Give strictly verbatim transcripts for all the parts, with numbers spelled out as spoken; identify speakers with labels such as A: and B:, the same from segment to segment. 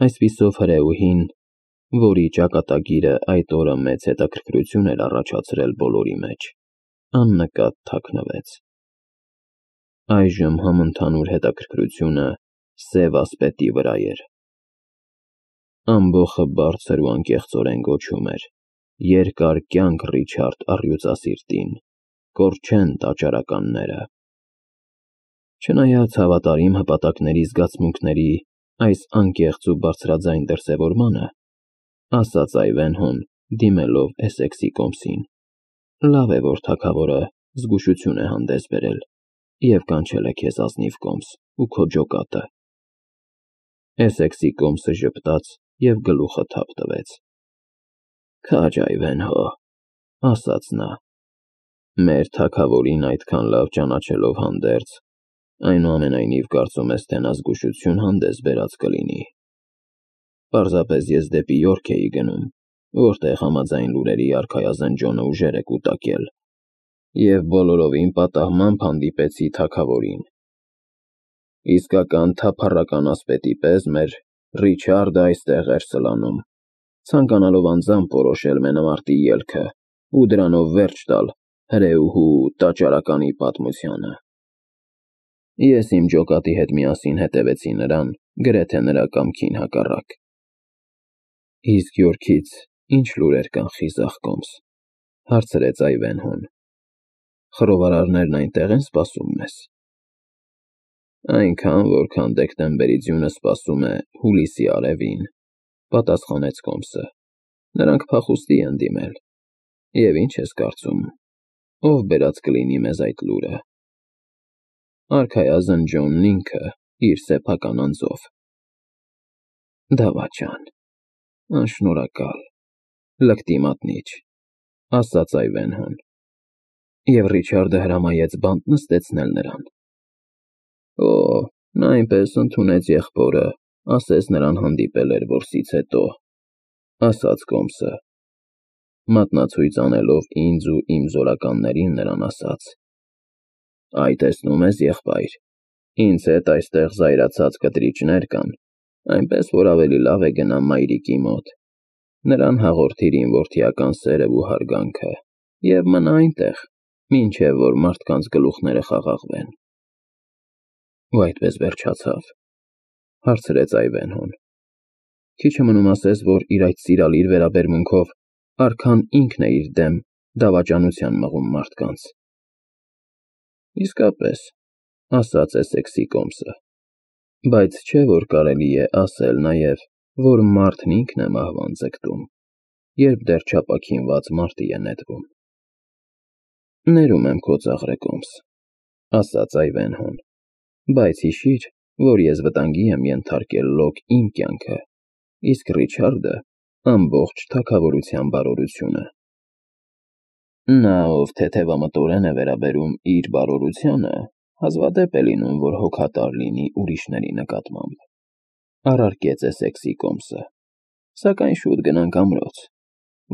A: Այսպիսով հրեուհին, որի ճակատագիրը այդ օրը մեծ հետաքրքրություն էր առաջացրել բոլորի մեջ, աննկատ թաքնվեց։ Այժմ համընդհանուր հետաքրքրությունը սև ասպետի վրա էր։ Ամբոխը բարձր ու անկեղծորեն գոչում էր. «Երկար կյանք Ռիչարդ առյուծասիրտին, կորչեն տաճարականները»։ Չնայած հավատարիմ հպատակների զգացմունքների այս անկեղծ ու բարձրաձայն դրսևորմանը, ասաց Այվենհոն, դիմելով Էսեքսի կոմսին, լավ է, որ թագավորը զգուշություն է հանդես բերել և կանչել է քեզ ազնիվ կոմս ու քո ջոկատը։ Էսեքսի կոմսը ժպտաց և գլուխը թափ տվեց։ Քաջ Այվենհո, ասաց նա, մեր թագավորին այդքան լավ ճանաչելով հանդերձ, այնուամենայնիվ կարծում ես, թե նա զգուշություն հանդես բերած կլինի։ Պարզապես ես դեպի Յորք էի գնում, որտեղ համաձայն լուրերի արքայազն Ջոնը ուժեր է կուտակել, և բոլորովին պատահմամբ հանդիպեցի թագավորին։ Իսկական թափառական ասպետի պես մեր Ռիչարդը այստեղ էր սլանում, ցանկանալով անձամբ որոշել մենամարտի ելքը ու դրանով վերջ տալ հրեուհու տաճարականի պատմությանը։ Ես իմ ջոկատի հետ միասին հետևեցի նրան, գրեթե նրա կամքին հակառակ։ Իսկ Յորքից ի՞նչ լուրեր կան, խիզախ կոմս, հարցրեց Այվենհոն։ Խռովարարներն այնտեղ են սպասում մեզ։ Այնքան, որքան դեկտեմբերի ձյունը սպասում է հուլիսի արևին, պատասխանեց կոմսը։ Նրանք փախուստի են դիմել։ Եվ ինչ ես կարծում, ով բերած կլինի մեզ այդ լուրը։ Արքայազն Ջոնն ինքը, իր սեփական անձով։ Դավաճան, անշնորհակալ, լկտի մատնիչ, ասաց Այվենհոն։ Եվ Ռիչարդը հրամայեց բանտ նստեցնել նրան։ Օ, նա այնպես ընդունեց եղբորը, ասես նրան հանդիպել էր որսից հետո, ասաց կոմսը, մատնացույց անելով ինձ ու իմ զորականներին նրան ասաց. Այ տեսնում ես, եղբայր, ինձ հետ այստեղ զայրացած կտրիչներ կան, այնպես որ ավելի լավ է գնամ մայրիկի մոտ, նրան հաղորդիր իմ որդիական սերն ու հարգանքը և մնա այնտեղ, մինչև որ մարդկանց գլուխները խաղաղվեն։ Ու այդպես վերջացավ, հարցրեց Այվենհոն։ Քիչ է մնում ասես, որ իր այդ սիրալիր վերաբերմունքով արքան ինքն է իր դեմ դավաճանության մղում մարդկանց։ Իսկապես, ասաց Էսեքսի կոմսը, բայց չէ՞ որ կարելի է ասել նաև, որ մարդն ինքն է մահվան ձգտում, երբ դեռ չապաքինված մարտի է նետվում։ Ներում եմ քո ծաղրը, կոմս, ասաց Այվենհոն, բայց հիշիր, որ ես վտանգի եմ ենթարկել լոկ իմ կյանքը, իսկ Ռիչարդը ամբողջ թագավորության բարօրությունը։ Նա, ով թեթևամտորեն է վերաբերում իր բարօրությանը, հազվադեպ է լինում, որ հոգատար լինի ուրիշների նկատմամբ, առարկեց Էսեքսի կոմսը, սակայն շուտ գնանք ամրոց,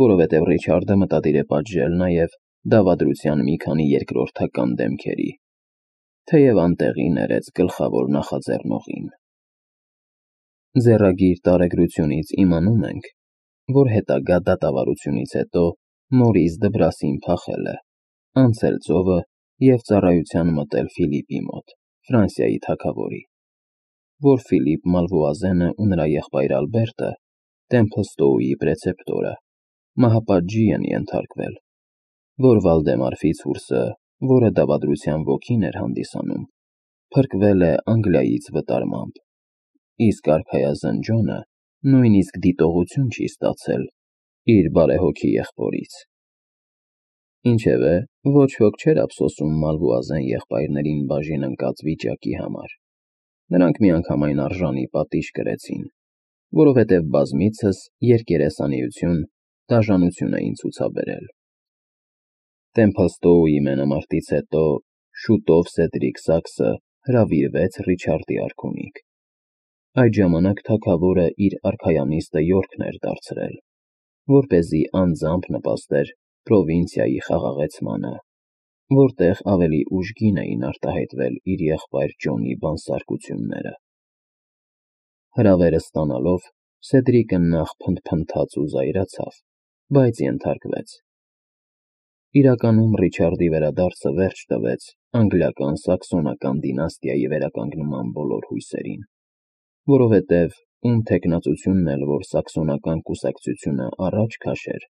A: որովհետև Ռիչարդը մտադիր է պատժել նաև դավադրության մի քանի երկրորդական դեմքերի, թեև անտեղի ներեց գլխավոր նախաձեռնողին։ Ձեռագիր տարեգրությունից իմանում ենք, որ հետագա դատավարությունից հետո Մորիս Դբրասին փախել է, անցել ծովը և ծառայության մտել Ֆիլիպի մոտ, Ֆրանսիայի թագավորի, որ Ֆիլիպ Մալվոազենը ու նրա եղբայր Ալբերտը, Տեմփլստոուի պրեցեպտորը, մահապատժի են ենթարկվել, որ Վալդեմար Ֆիցուրսը, որը դավադրության ոգին էր հանդիսանում, փրկվել է Անգլիայից վտարմամբ, իսկ արքայազն Ջոնը նույնիսկ դիտողություն չի ստացել իր բարեհոգի եղբորից։ Ինչևէ, ոչ ոք չէր ափսոսում Մալվոազեն եղբայրներին բաժին ընկած վիճակի համար։ Նրանք միանգամայն արժանի պատիժ կրեցին, որովհետև բազմիցս երկերեսանիություն, դաժանություն էին ցուցաբերել։ Տեմփլստոուի մենամարտից հետո շուտով Սեդրիկ Սաքսը հրավիրվեց Ռիչարդի արքունիք։ Այդ ժամանակ թագավորը իր արքայանիստը Յորքն էր դարձրել, որպեսզի անձամբ նպաստեր պրովինցիայի խաղաղեցմանը, որտեղ ավելի ուժգին էին արտահայտվել իր եղբայր Ջոնի բանսարկությունները։ Հրավերը ստանալով, Սեդրիկը նախ փնթփնթաց ու զայրացավ, բայց ենթարկվեց։ Իրականում Ռիչարդի վերադարձը վերջ տվեց անգլիական-սաքսոնական դինաստիայի վերականգնման բոլոր հույսերին, որովհետև ում թեկնածությունն էլ որ սաքսոնական կուսակցությունը առաջ քաշեր,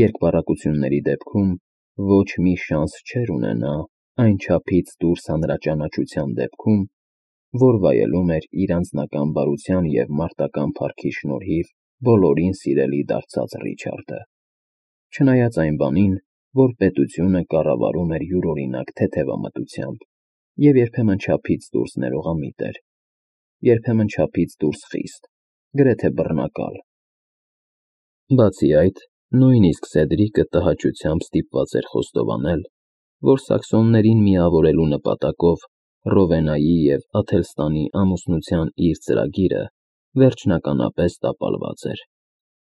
A: երկպառակությունների դեպքում ոչ մի շանս չէր ունենա այն չափից դուրս հանրաճանաչության դեպքում, որ վայելում էր իր անձնական բարության և մարտական փառքի շնորհիվ բոլորին սիրելի դարձած Ռիչարդը, չնայած այն բանին, որ պետությունը կառավարում էր յուրօրինակ թեթևամտությամբ և երբեմն չափից դուրս ներողամիտ էր, երբեմն չափից դուրս խիստ, գրեթե բռնակալ։ Բացի այդ, նույնիսկ Սեդրիկը տհաճությամբ ստիպված էր խոստովանել, որ սաքսոններին միավորելու նպատակով Ռովենայի և Աթելստանի ամուսնության իր ծրագիրը վերջնականապես տապալված էր,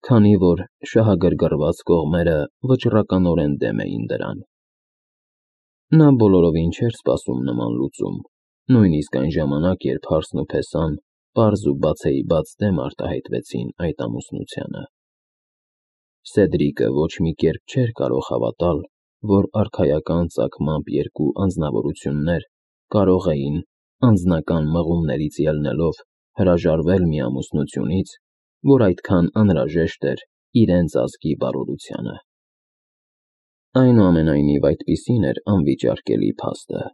A: քանի որ շահագրգռված կողմերը վճռականորեն դեմ էին դրան։ Նա բոլորովին չէր սպասում նման լուծում, նույնիսկ այն ժամանակ, երբ հարսն ու փեսան պարզ ու բացեիբաց դեմ արտահայտվեցին այդ ամուսնությանը։ Սեդրիկը ոչ մի կերպ չէր կարող հավատալ, որ արքայական ծագմամբ երկու անձնավորություններ կարող էին, անձնական մղումներից ելնելով, հրաժարվել մի ամուսնությունից, որ այդքան անհրաժեշտ էր իրենց ազգի բարօրությանը։ Այնուամենայնիվ, այդպիսին էր անվիճարկելի փաստը.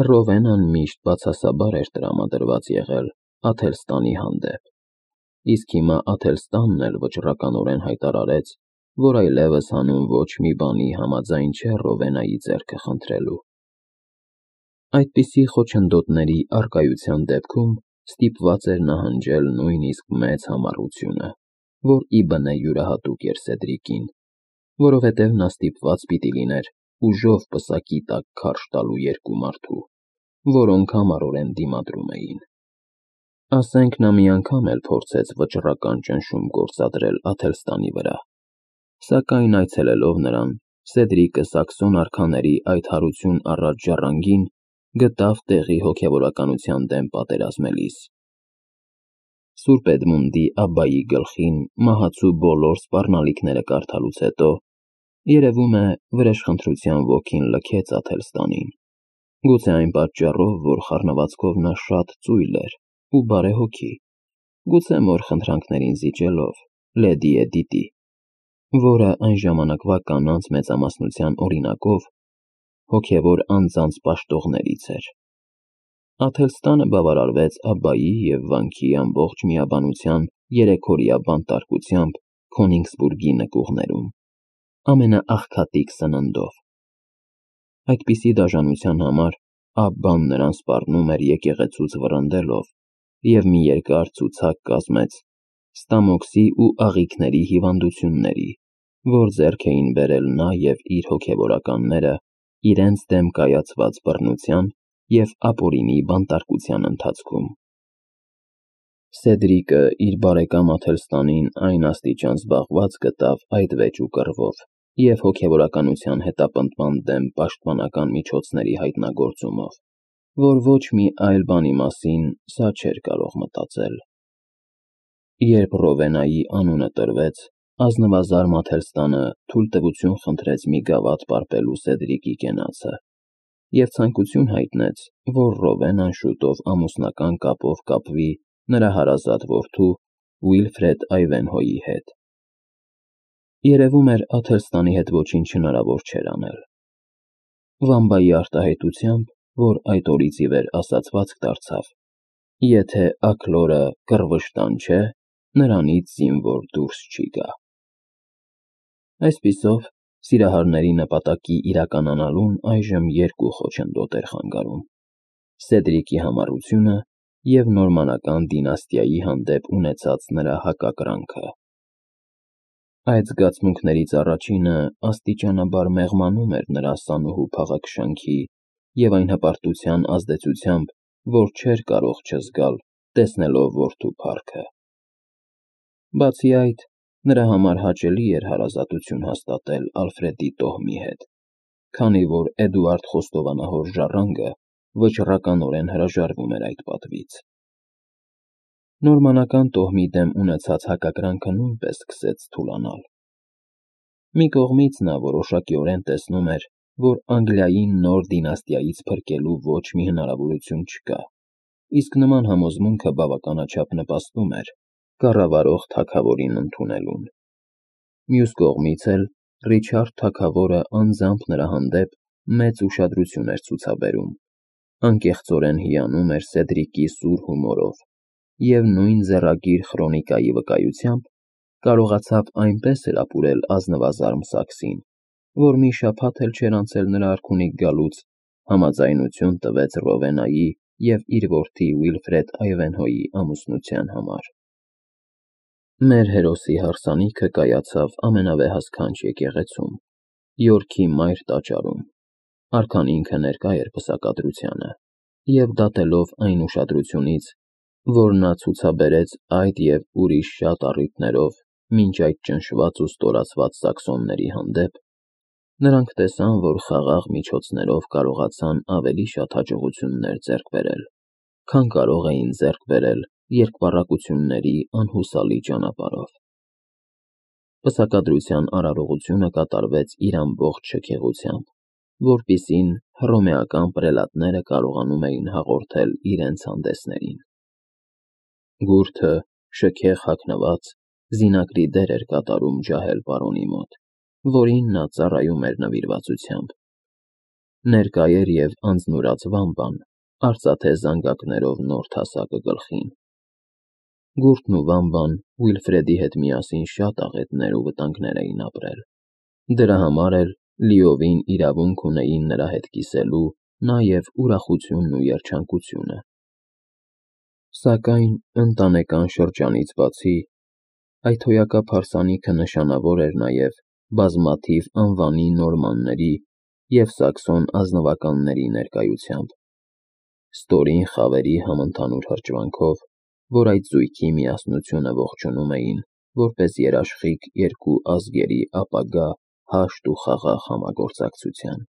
A: Ռովենան միշտ բացասաբար էր տրամադրված եղել Աթելստանի հանդեպ, իսկ հիմա Աթելստանն էլ վճռականորեն հայտարարեց, որ այլևս հանուն ոչ մի բանի համաձայն չէ Ռովենայի ձեռքը խնդրելու։ Այդպիսի խոչընդոտների առկայության դեպքում ստիպված էր նահանջել նույնիսկ մեծ համառությունը, որ ի բնե յուրահատուկ էր Սեդրիկին, որովհետև նա ստիպված պիտի լիներ ուժով պսակի տակ քարշ տալու երկու մարդու, որոնք համառորեն դիմադրում էին։ Ասենք նա մի անգամ էլ փորձեց վճռական ճնշում գործադրել Աթելստանի վրա, սակայն այցելելով նրան, Սեդրիկը սաքսոն արքաների այդ հարություն առած ժառանգին գտավ տեղի հոգևորականության դեմ պատերազմելիս։ Սուրբ Էդմունդի Աբբայի գլխին մահացու բոլոր սպառնալիքները կարդալուց հետո, երևում է, վրեժխնդրության ոգին լքեց Աթելստանին, գուցե այն պատճառով, որ խառնվածքով նա շատ ծույլ էր ու բարեհոգի, գուցե մոր խնդրանքներին զիջելով, լեդի Էդիտի, որը այն ժամանակվա կանանց մեծամասնության օրինակով հոգևոր անձանց պաշտողներից էր։ Աթելստանը բավարարվեց Աբբայի և վանքի ամբողջ միաբանության երեքօրյա բանտարկությամբ Քոնիգսբուրգի նկուղներում, ամենաաղքատիկ սննդով։ Այդպիսի դաժանության համար Աբբան նրան սպառնում էր եկեղեցուց վռնդելով և մի երկար ցուցակ կազմեց ստամոքսի ու աղիքների հիվանդությունների, որ ձեռք էին բերել նա և իր հոգևորականները իրենց դեմ կայացված բռնության և ապօրինի բանտարկության ընթացքում։ Սեդրիկը իր բարեկամ Աթելստանին այն աստիճան զբաղված գտավ այդ վեճ ու կռվով և հոգևորականության հետապնդման դեմ պաշտպանական միջոցների հայտնագործումով, որ ոչ մի այլ բանի մասին սա չէր կարող մտածել։ Երբ Ռովենայի անունը տրվեց, ազնվազարմ Աթելստանը թույլտվություն խնդրեց մի գավաթ պարպելու Սեդրիկի կենացը և ցանկություն հայտնեց, որ Ռովենան շուտով ամուսնական կապով կապվի նրա հարազատ որդու Ուիլֆրեդ Այվենհոյի հետ։ Երևում էր Աթելստանի հետ ոչինչ հնարավոր չէր անել։ Վամբայի արտահայտությամբ, որ այդ օրից ի վեր ասացվածք դարձավ, եթե աքլորը կռվշտան չէ, նրանից զինվոր դուրս չի գա։ Այսպիսով, սիրահարների նպատակի իրականանալուն այժմ երկու խոչընդոտ էր խանգարում՝ Սեդրիկի համառությունը և նորմանական դինաստիայի հանդեպ ունեցած նրա հակակրանքը։ Այդ զգացմունքներից առաջինը աստիճանաբար մեղմանում էր նրա ասանուհու փաղաքշանքի և այն հպարտության ազդեցությամբ, որ չէր կարող չզգալ, տեսնելով որդու փառքը։ Բացի այդ, նրա համար հաճելի էր հարազատություն հաստատել Ալֆրեդի տոհմի հետ, քանի որ Էդուարդ խոստովանահոր ժառանգը վճռականորեն հրաժարվում էր այդ պատվից։ Նորմանական տոհմի դեմ ունեցած հակակրանքը նույնպես սկսեց թուլանալ։ Մի կողմից նա որոշակիորեն տեսնում էր, որ Անգլիային նոր դինաստիայից փրկելու ոչ մի հնարավորություն չկա, իսկ նման համոզմունքը բավականաչափ նպաստում էր կառավարող թագավորին ընդունելուն։ Մյուս կողմից էլ Ռիչարդ թագավորը անձամբ նրա հանդեպ մեծ ուշադրություն էր ցուցաբերում, անկեղծորեն հիանում էր Սեդրիկի սուր հումորով և նույն ձեռագիր Խրոնիկայի վկայությամբ կարողացավ այնպես էլ ապուրել ազնվազարմ Սաքսին, որ մի շաբաթ էլ չէր անցել նրա արքունիք գալուց, համաձայնություն տվեց Ռովեննայի և իր որդի Ուիլֆրեդ Այվենհոյի ամուսնության համար։ Մեր հերոսի հարսանիքը կայացավ ամենավեհասքանչ եկեղեցում՝ Յորքի Մայր տաճարում։ Արքան ինքը ներկա էր պսակադրությանը, և դատելով այն ուշադրությունից, որ նա ցուցաբերեց այդ և ուրիշ շատ առիթներով մինչ այդ ճնշված ու ստորացված սաքսոնների հանդեպ, նրանք տեսան, որ խաղաղ միջոցներով կարողացան ավելի շատ հաջողություններ ձեռք բերել, քան կարող էին ձեռք բերել երկպառակտությունների անհուսալի ճանապարհով։ Պսակադրության արարողությունը կատարվեց իր ամբողջ շքեղությամբ, որպեսզի հռոմեական պրելատները կարողանում էին հաղորդել իրենց հանդեսներին։ Գուրդը, շքեղ հագնված, զինակրի դեր էր կատարում ջահել պարոնի մոտ, որին նա ծառայում էր նվիրվածությամբ։ Ներկա էր և անձնուրաց վամբան, արծաթե զանգակներով նոր թասակը գլխին։ Գուրդն ու վամբան Ուիլֆրեդի հետ միասին շատ աղետներ ու վտանգներ էին ապրել, դրա համար էլ լիովին իրավունք ունեին նրա հետ կիսելու նաև ուրախությունն ու երջանկությունը։ Սակայն ընտանեկան շրջանից բացի, այդ հոյակապ հարսանիքը նշանավոր էր նաև բազմաթիվ անվանի նորմանների և սաքսոն ազնվականների ներկայությամբ, ստորին խավերի համընդհանուր հրճվանքով, որ այդ զույգի միասնությունը ողջունում էին որպես երաշխիք երկու ազգերի ապագա հաշտ ու խաղաղ համագործակցության։